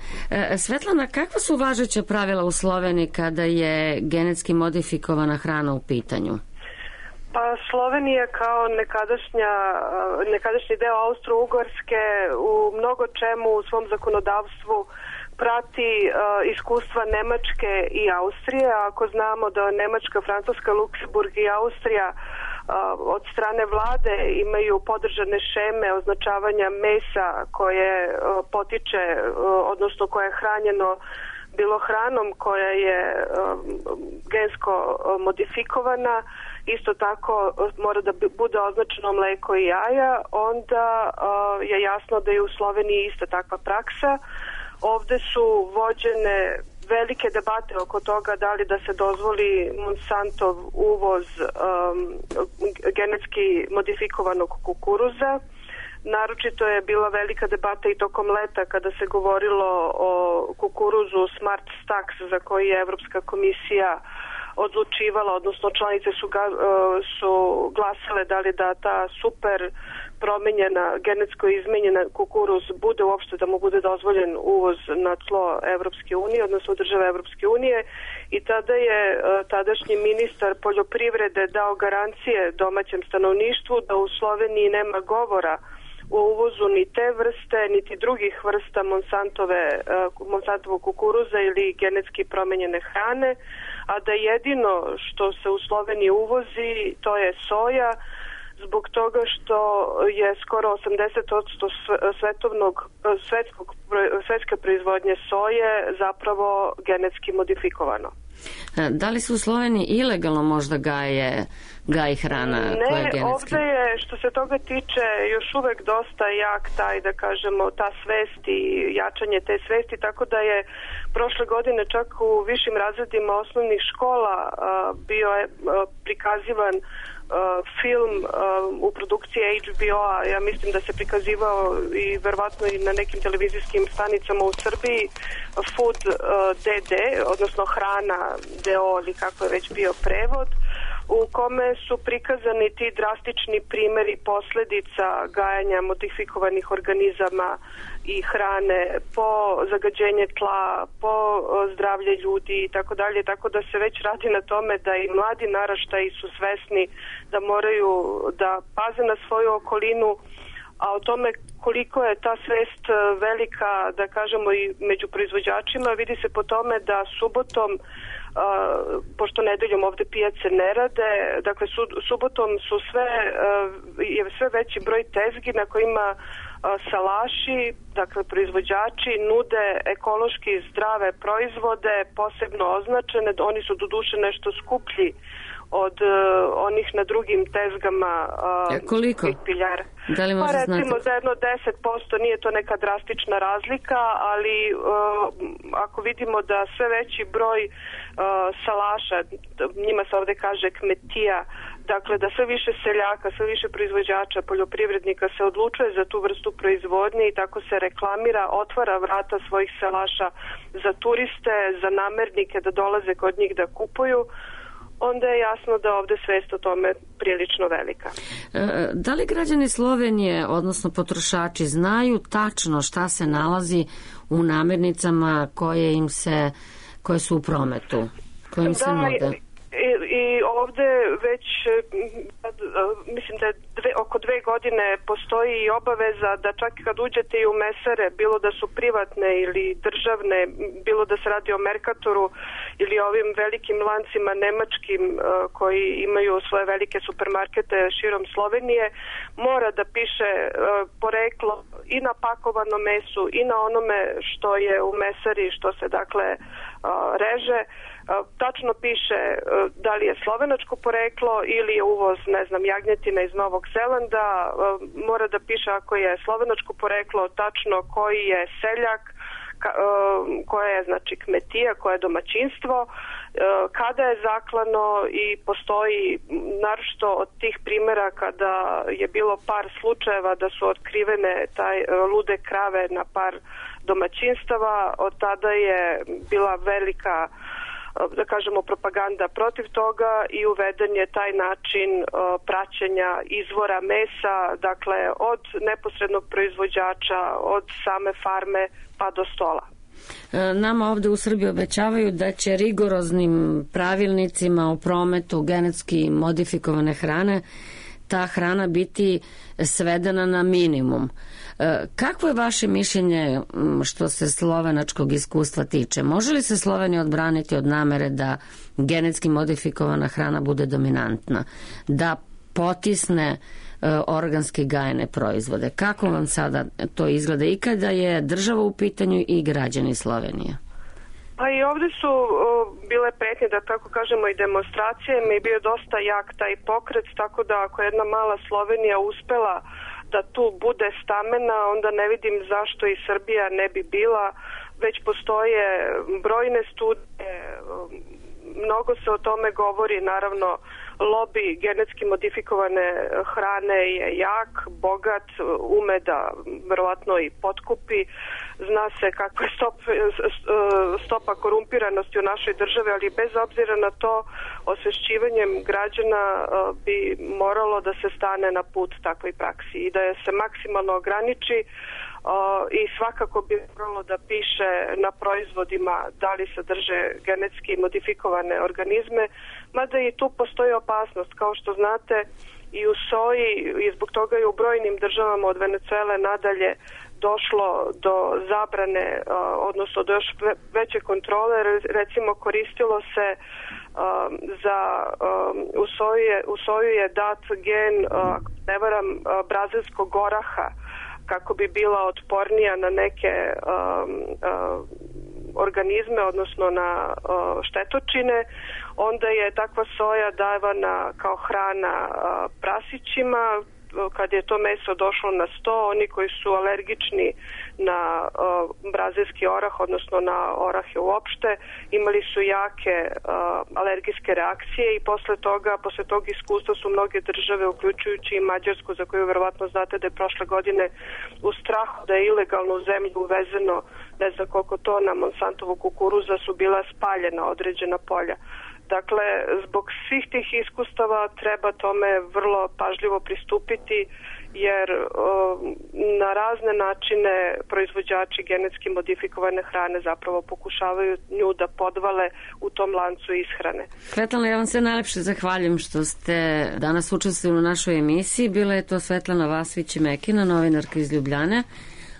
Svetlana, kakva su važeća pravila u Sloveniji kada je genetski modifikovana hrana u pitanju? Pa Slovenija kao nekadašnji deo Austro-Ugarske u mnogo čemu u svom zakonodavstvu prati iskustva Nemačke i Austrije. Ako znamo da Nemačka, Francuska, Luksemburg i Austrija od strane vlade imaju podržane šeme označavanja mesa koje potiče, odnosno koje je hranjeno bilo hranom koja je gensko modifikovana, isto tako mora da bude označeno mleko i jaja, onda je jasno da je u Sloveniji ista takva praksa. Ovde su vođene velike debate oko toga da li da se dozvoli Monsantov uvoz genetski modifikovanog kukuruza. Naročito je bila velika debata i tokom leta kada se govorilo o kukuruzu Smart Stax za koji je Evropska komisija odlučivala, odnosno članice su glasale da li da ta super promenjena, genetsko izmenjena kukuruz bude uopšte da mu bude dozvoljen uvoz na tlo Evropske unije, odnosno države Evropske unije, i tada je tadašnji ministar poljoprivrede dao garancije domaćem stanovništvu da u Sloveniji nema govora o uvozu ni te vrste, niti drugih vrsta Monsantovog kukuruza ili genetski promenjene hrane, a da jedino što se u Sloveniji uvozi to je soja, zbog toga što je skoro 80% svetske proizvodnje soje zapravo genetski modifikovano. Da li se u Sloveniji ilegalno možda gaji hrana koja je genetski? Ne, ovdje je, što se toga tiče, još uvek dosta jak taj, da kažemo, ta svest i jačanje te svesti, tako da je prošle godine čak u višim razredima osnovnih škola bio je prikazivan film u produkciji HBO-a, ja mislim da se prikazivao i verovatno i na nekim televizijskim stanicama u Srbiji, Food DD, odnosno Hrana DO ili kako je već bio prevod, u kome su prikazani ti drastični primjeri posledica gajanja modifikovanih organizama i hrane po zagađenje tla, po zdravlje ljudi i tako dalje, tako da se već radi na tome da i mladi naraštaji su svesni da moraju da paze na svoju okolinu, a o tome koliko je ta svest velika, da kažemo, i među proizvođačima vidi se po tome da subotom, pošto nedeljom ovde pijace ne rade, dakle subotom su sve veći broj tezgi na kojima salaši, dakle proizvođači nude ekološki zdrave proizvode, posebno označene, oni su doduše nešto skuplji od onih na drugim tezgama. Koliko? Piljara. Da li možda znate? Recimo za jedno 10%, nije to neka drastična razlika, ali ako vidimo da sve veći broj salaša, njima se ovde kaže kmetija, dakle da sve više seljaka, sve više proizvođača, poljoprivrednika se odlučuje za tu vrstu proizvodnje i tako se reklamira, otvara vrata svojih salaša za turiste, za namernike da dolaze kod njih da kupuju, onda je jasno da ovde svest o tome prilično velika. Da li građani Slovenije, odnosno potrošači, znaju tačno šta se nalazi u namirnicama koje su u prometu, koje im se nude? I ovde već mislim da je oko 2 godine postoji i obaveza da čak kad uđete i u mesare, bilo da su privatne ili državne, bilo da se radi o Merkatoru ili ovim velikim lancima nemačkim koji imaju svoje velike supermarkete širom Slovenije, mora da piše poreklo i na pakovanom mesu i na onome što je u mesari, što se dakle reže. Tačno piše da li je slovenačko poreklo ili je uvoz, ne znam, jagnjetina iz Novog Zelanda, mora da piše ako je slovenačko poreklo tačno koji je seljak, koja je znači kmetija, koje je domaćinstvo, kada je zaklano i postoji naročito od tih primjera kada je bilo par slučajeva da su otkrivene lude krave na par domaćinstava, od tada je bila velika, da kažemo, propaganda protiv toga i uveden je taj način praćenja izvora mesa, dakle od neposrednog proizvođača, od same farme pa do stola. Nama ovde u Srbiji obećavaju da će rigoroznim pravilnicima o prometu genetski modifikovane hrane ta hrana biti svedena na minimum. Kakvo je vaše mišljenje što se slovenačkog iskustva tiče? Može li se Slovenija odbraniti od namere da genetski modifikovana hrana bude dominantna, da potisne organski gajene proizvode? Kako vam sada to izgleda i kada je država u pitanju i građani Slovenije? Pa i ovdje su bile pretnje, da tako kažemo, i demonstracije, mi je bio dosta jak taj pokret, tako da ako jedna mala Slovenija uspela da tu bude stamena, onda ne vidim zašto i Srbija ne bi bila. već postoje brojne studije, mnogo se o tome govori, naravno lobi genetski modifikovane hrane je jak, bogat, ume da verovatno i potkupi. Zna se kakva je stopa korumpiranosti u našoj državi, ali bez obzira na to, osvešćivanjem građana bi moralo da se stane na put takvoj praksi i da je se maksimalno ograniči i svakako bi moralo da piše na proizvodima da li sadrže genetski modifikovane organizme, mada i tu postoji opasnost. Kao što znate, i u soji i zbog toga je u brojnim državama od Venecuele nadalje došlo do zabrane, odnosno do još veće kontrole. Recimo, koristilo se u soju je dat gen, ako ne varam, brazilskog oraha, kako bi bila otpornija na neke organizme, odnosno na štetočine. Onda je takva soja davana kao hrana prasićima. Kad je to meso došlo na sto, oni koji su alergični na brazilski orah, odnosno na orahe uopšte, imali su jake alergijske reakcije i posle tog iskustva su mnoge države, uključujući i Mađarsku, za koju verovatno znate da je prošle godine u strahu da je ilegalno u zemlju uvezeno ne znam koliko tona Monsantovog kukuruza, su bila spaljena određena polja. Dakle, zbog svih tih iskustava treba tome vrlo pažljivo pristupiti, jer na razne načine proizvođači genetski modifikovane hrane zapravo pokušavaju nju da podvale u tom lancu ishrane. Svetlana, ja vam se najlepše zahvaljujem što ste danas učestvovali u našoj emisiji. Bila je to Svetlana Vasvić-Mekina, novinarka iz Ljubljane.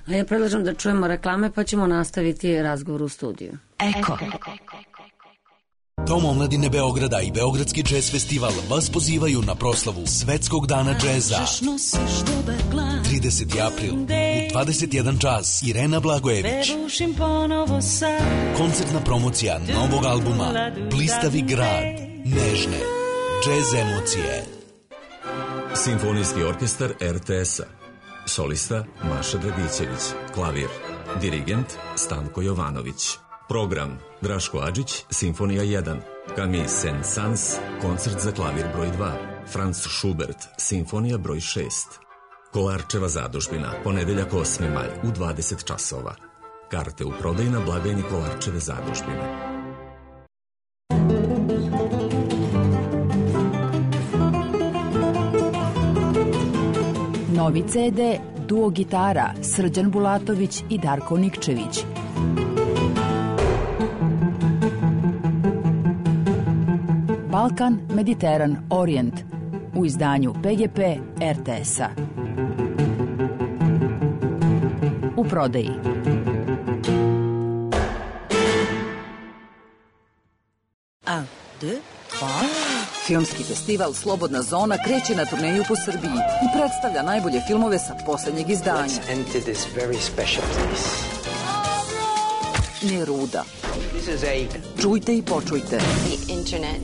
A ja predlažem da čujemo reklame, pa ćemo nastaviti razgovor u studiju. Eko. Dom omladine Beograda i Beogradski džez festival vas pozivaju na proslavu Svetskog dana džeza. 30. april u 21 čas. Irena Blagojević. Koncertna promocija novog albuma Blistavi grad. Nežne džez emocije. Simfonijski orkestar RTS-a. Solista Maša Dragićević. Klavir. Dirigent Stanko Jovanović. Program Draško Adžić, Simfonija 1, Camille Saint-Saëns, koncert za klavir broj 2, Franz Schubert, Simfonija broj 6. Kolarčeva zadužbina, ponedeljak 8. maj u 20 časova. Karte u prodaji na blagajni Kolarčeve zadužbine. Novi CD, duo gitara, Srđan Bulatović i Darko Nikčević. Balkan, Mediteran, Orijent u izdanju PGP RTS-a. U prodaji. Filmski festival Slobodna zona kreće na turneju po Srbiji i predstavlja najbolje filmove sa poslednjeg izdanja. Neruda. Čujte i počujte. The internet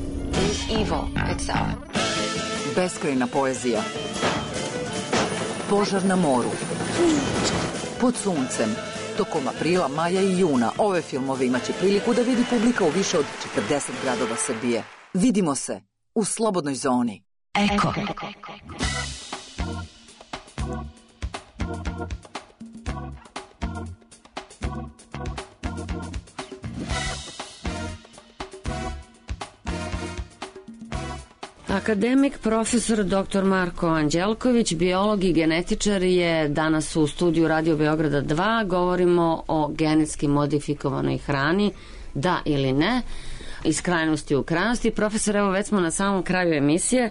is evil itself. Beskrajna poezija. Požar na moru. Pod suncem. Tokom aprila, maja i juna ove filmove imaće priliku da vidi publika u više od 40 gradova Srbije. Vidimo se u Slobodnoj zoni. Eko. Akademik profesor dr. Marko Anđelković, biolog i genetičar, je danas u studiju Radio Beograda 2. Govorimo o genetski modifikovanoj hrani, da ili ne, iz krajnosti u krajnosti. Profesor, evo već smo na samom kraju emisije.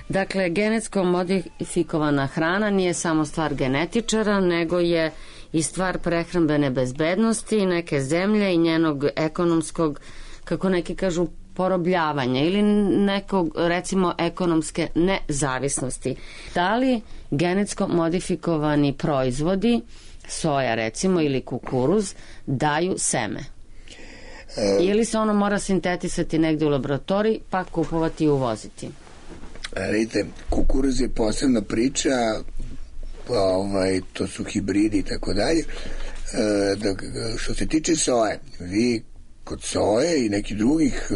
Dakle, genetsko modifikovana hrana nije samo stvar genetičara, nego je i stvar prehrambene bezbednosti neke zemlje i njenog ekonomskog, kako neki kažu, porobljavanja ili nekog, recimo, ekonomske nezavisnosti. Da li genetsko modifikovani proizvodi, soja recimo ili kukuruz, daju seme? Ili se ono mora sintetisati negde u laboratoriji pa kupovati i uvoziti? Vidite, kukuruz je posebna priča, to su hibridi i tako dalje. Što se tiče soje, vi kod soje i nekih drugih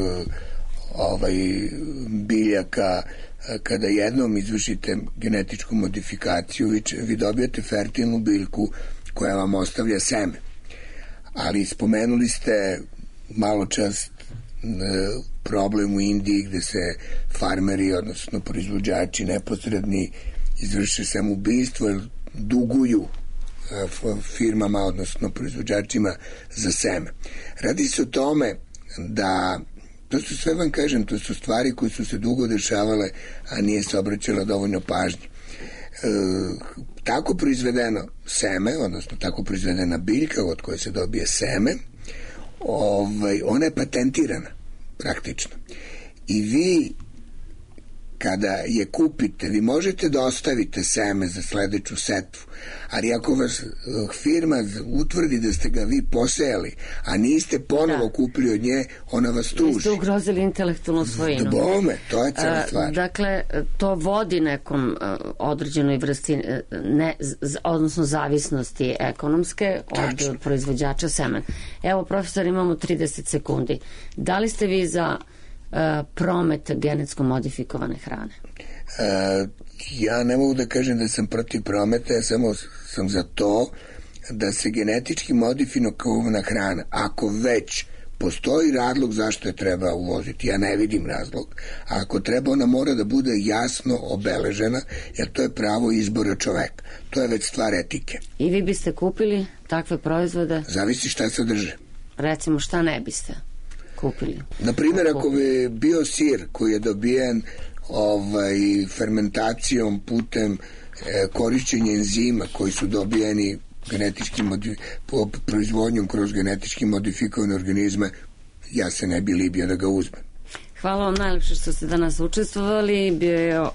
biljaka, kada jednom izvršite genetičku modifikaciju, vi dobijate fertilnu biljku koja vam ostavlja seme. Ali spomenuli ste malo čas problem u Indiji gde se farmeri, odnosno proizvođači neposredni, izvrše samoubistvo jer duguju firmama, odnosno proizvođačima za seme. Radi se o tome da to su sve, vam kažem, to su stvari koje su se dugo dešavale, a nije se obraćala dovoljno pažnje. Tako proizvedeno seme, odnosno tako proizvedena biljka od koje se dobije seme, ona je patentirana praktično. I vi kada je kupite, vi možete da ostavite seme za sledeću setvu, ali ako vas firma utvrdi da ste ga vi posejali, a niste ponovo kupili od nje, ona vas tuži. Vi ste ugrozili intelektualnu svojinu. Bome, to je cela stvar. Dakle, to vodi nekom određenoj vrsti, odnosno zavisnosti ekonomske od proizvođača semena. Evo, profesor, imamo 30 sekundi. Da li ste vi za promet genetsko modifikovane hrane? Ja ne mogu da kažem da sam protiv prometa, ja samo sam za to da se genetički modifikovana hrana, ako već postoji razlog zašto je treba uvoziti, ja ne vidim razlog, a ako treba, ona mora da bude jasno obeležena, jer to je pravo izbora čoveka. To je već stvar etike. I vi biste kupili takve proizvode? Zavisi šta sadrže. Recimo, šta ne biste kupili? Naprimjer, ako bi bio sir koji je dobijen fermentacijom putem korišćenja enzima koji su dobijeni proizvodnjom kroz genetički modifikovane organizme, ja se ne bi libio da ga uzmem. Hvala vam najlepše što ste danas učestvovali. Bio je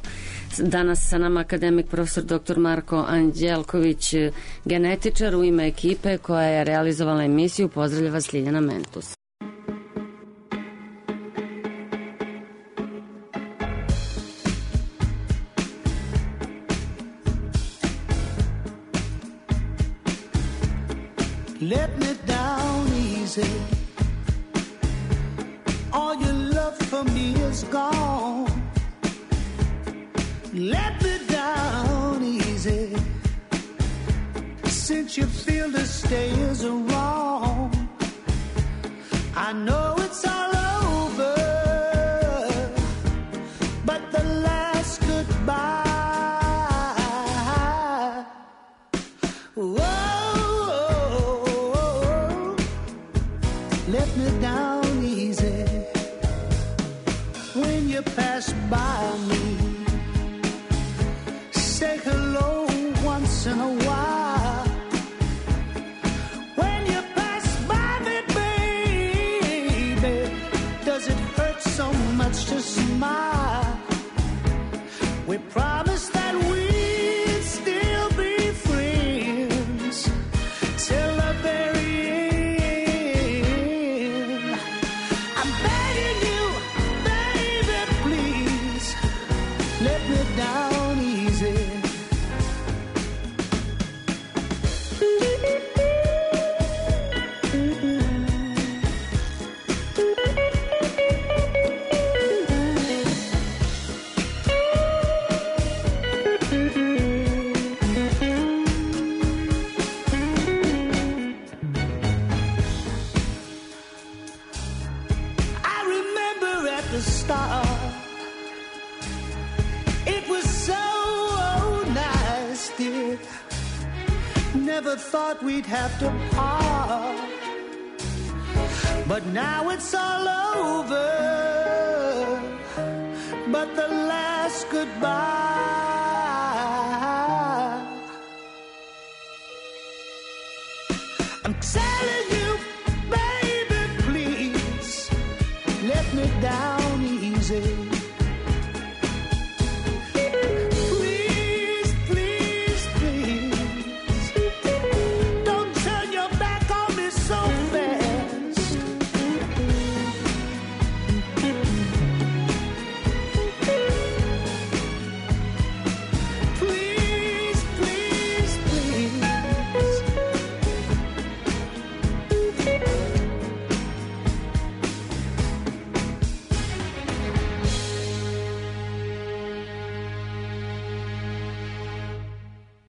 danas sa nama akademik profesor dr. Marko Anđelković, genetičar. U ime ekipe koja je realizovala emisiju pozdravlja vas Ljiljana Mentus. Let me down easy. All your love for me is gone. Let me down easy. Since you feel the stay is wrong, I know it's all over, but the last goodbye. Whoa. Let me down easy. When you pass by me, say hello once in a while. When you pass by me, baby, does it hurt so much to smile? We promised that we'd still be friends till the very down easy. I remember at the start, never thought we'd have to part, but now it's all over, but the last goodbye. I'm telling you, baby, please let me down easy.